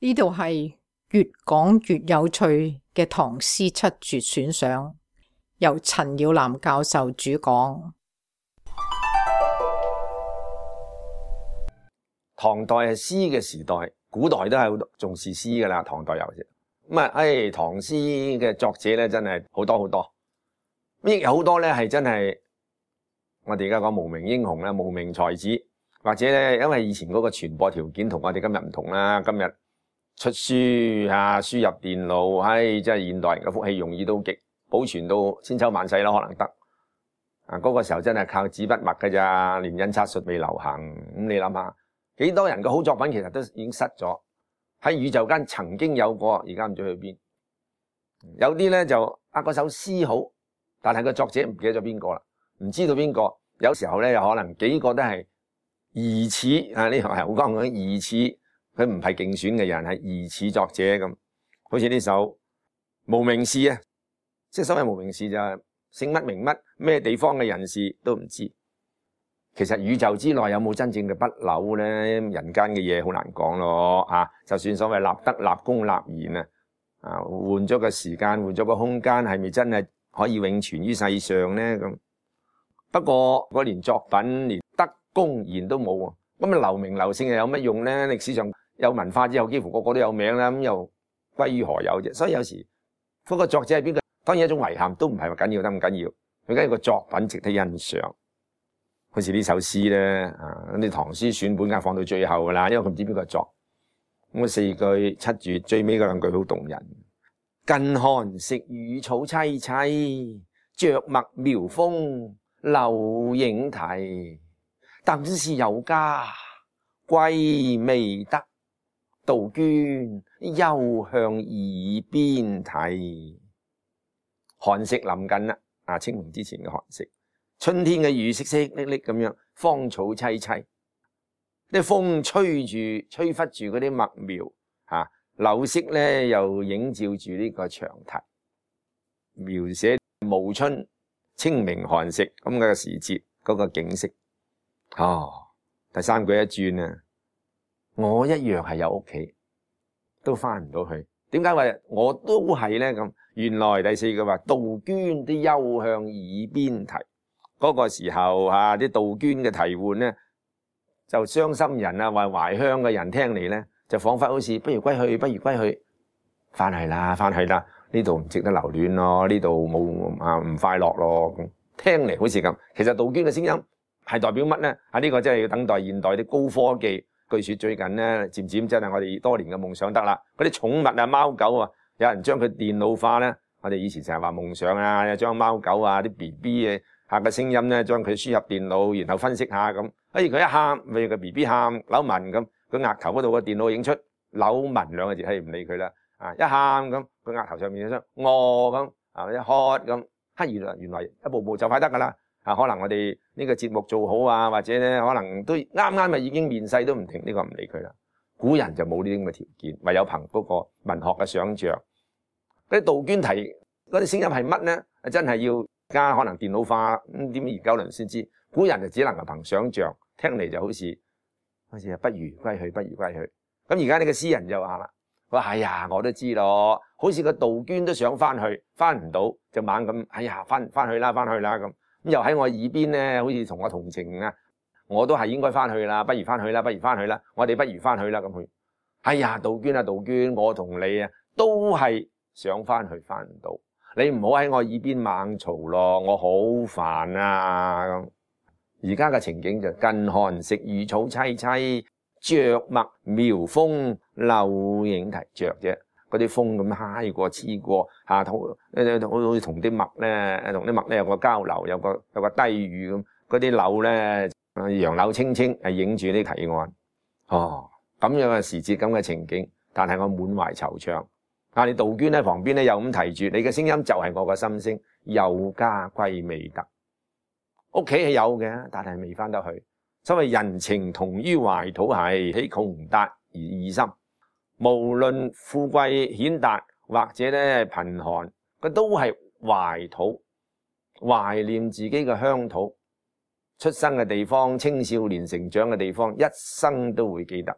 呢度係越講越有趣嘅唐詩七絕選賞，由陳耀南教授主講。唐代係詩嘅時代，古代都係好重視詩噶啦，唐代有啫。咁啊，唐詩嘅作者咧真係好多好多，亦有好多咧係真係我哋而家講無名英雄啦、無名才子，或者咧因為以前嗰個傳播條件同我哋今日唔同啦，今日出書啊、輸入電腦，真係現代人嘅福氣容易到極，保存到千秋萬世啦，可能得。嗰個時候真係靠紙筆墨㗎咋，連印刷術未流行。咁你諗下，幾多人嘅好作品其實都已經失咗喺宇宙間，曾經有過，而家唔知去邊。有啲咧就嗰首詩好，但係個作者唔記得咗邊個啦，唔知道邊個。有時候咧又可能幾個都係疑似呢個係好講嘅疑似，佢唔係競選嘅人，係疑似作者咁。好似呢首無名氏啊，即係所謂無名氏就係姓乜名乜，咩地方嘅人士都唔知。其實宇宙之內有冇真正嘅不朽咧？人間嘅嘢好難講咯。就算所謂立德、立功、立言換咗個時間，換咗個空間，係咪真係可以永存於世上咧？咁不過嗰連作品、連德功言都冇喎，咁留名留姓又有乜用咧？歷史上有文化之後，幾乎個個都有名啦，咁又歸於何有啫？所以有時嗰個作者係邊個，當然一種遺憾，都唔係話緊要得咁緊要，佢緊要個作品值得欣賞。好似呢首詩咧，啲唐詩選本梗係放到最後噶啦，因為佢唔知邊個作。咁四句七絕，最尾嗰兩句好動人。近寒食魚草萋萋，著墨描風流影啼。等是有家歸未得，杜鵑休向耳邊啼。寒食臨近啦，清明之前嘅寒食。春天嘅雨淅淅瀝瀝咁樣，芳草萋萋，啲風吹拂住嗰啲墨苗，柳色咧又映照住呢個牆堤，描寫暮春清明寒食咁嘅時節嗰個景色。第三句一轉啊，我一樣係有屋企，都翻唔到去。點解話我都係咧咁？原來第四句話，杜鵑啲休向耳邊啼。嗰個時候啲杜鵑嘅啼喚咧，就傷心人或懷鄉嘅人聽嚟咧，就彷彿好似不如歸去，不如歸去，翻去啦，翻去啦，呢度唔值得留戀咯，呢度冇唔快樂咯。咁聽嚟好似咁，其實杜鵑嘅聲音係代表乜咧？呢個真係要等待現代啲高科技。據說最近咧，漸漸真係我哋多年嘅夢想得啦。嗰啲寵物貓狗有人將佢電腦化咧。我哋以前成日話夢想將貓狗啲 BB 嘅個聲音咧，將佢輸入電腦，然後分析下咁。佢一喊，咪個 BB 喊扭紋咁，佢額頭嗰度個電腦影出扭紋兩個字，唔理佢啦。一喊咁，佢額頭上面有張餓咁，一渴咁。原來一步步就快得噶啦。可能我哋呢個節目做好或者咧可能都啱咪已經面世都唔停，呢個唔理佢啦。古人就冇呢啲咁嘅條件，唯有憑嗰個文學嘅想像。嗰啲杜鵑啼嗰啲聲音係乜咧？真係要而家可能電腦化點研究輪先知。古人就只能夠憑想像，聽嚟就好似不如歸去，不如歸去。咁而家呢個詩人就話啦，佢話我都知咯，好似個杜鵑都想翻去，翻唔到就猛咁翻去啦，翻去啦咁。咁又喺我耳邊咧，好似同我同情我都係應該翻去啦，不如翻去啦，不如翻去啦，我哋不如翻去啦咁佢。杜鵑杜鵑，我同你都係想翻去，翻唔到，你唔好喺我耳邊猛嘈咯，我好煩咁。而家嘅情景就近寒食魚草萋萋，著墨描風流影啼。著啫，嗰啲風咁揩過黐過好似同啲墨咧有個交流，有個低語咁。嗰啲柳咧楊柳青青，影住啲堤岸。咁樣嘅時節，咁嘅情景，但係我滿懷惆悵。你杜鵑喺旁邊咧又咁提住，你嘅聲音就係我嘅心聲。有家歸未得，屋企係有嘅，但係未翻得去。所謂人情同於懷土係，豈窮達而異心。無論富貴顯達或者咧貧寒，佢都係懷土，懷念自己嘅鄉土，出生嘅地方，青少年成長嘅地方，一生都會記得。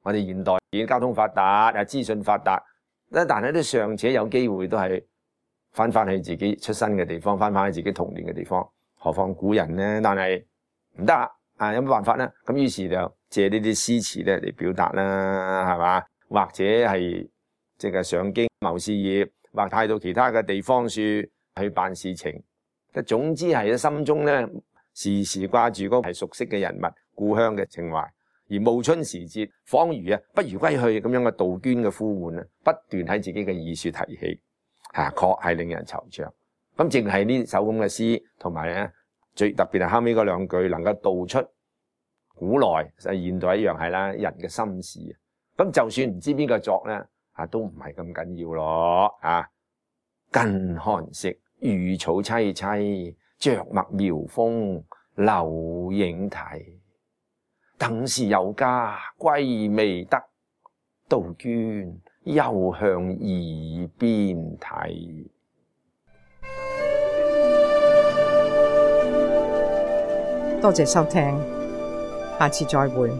我哋現代已經交通發達，資訊發達，但係都尚且有機會都係翻去自己出生嘅地方，翻去自己童年嘅地方，何況古人呢？但係唔得啊！有乜辦法呢？咁於是就借呢啲詩詞咧嚟表達啦，係嘛？或者係即係上京謀事業，或派到其他嘅地方處去辦事情。總之係喺心中咧時時掛住嗰個係熟悉嘅人物、故鄉嘅情懷。而暮春時節，恍如不如歸去咁樣嘅杜鵑嘅呼喚不斷喺自己嘅耳說提起，確係令人惆悵。咁淨係呢首咁嘅詩，同埋咧最特別係後尾嗰兩句，能夠道出古來現代一樣係啦人嘅心事。咁就算唔知邊個作咧，都唔係咁緊要咯。近寒食，雨草萋萋，着墨描風，留影題。等時有家歸未得，杜鵑又向耳邊睇。多謝收聽，下次再會。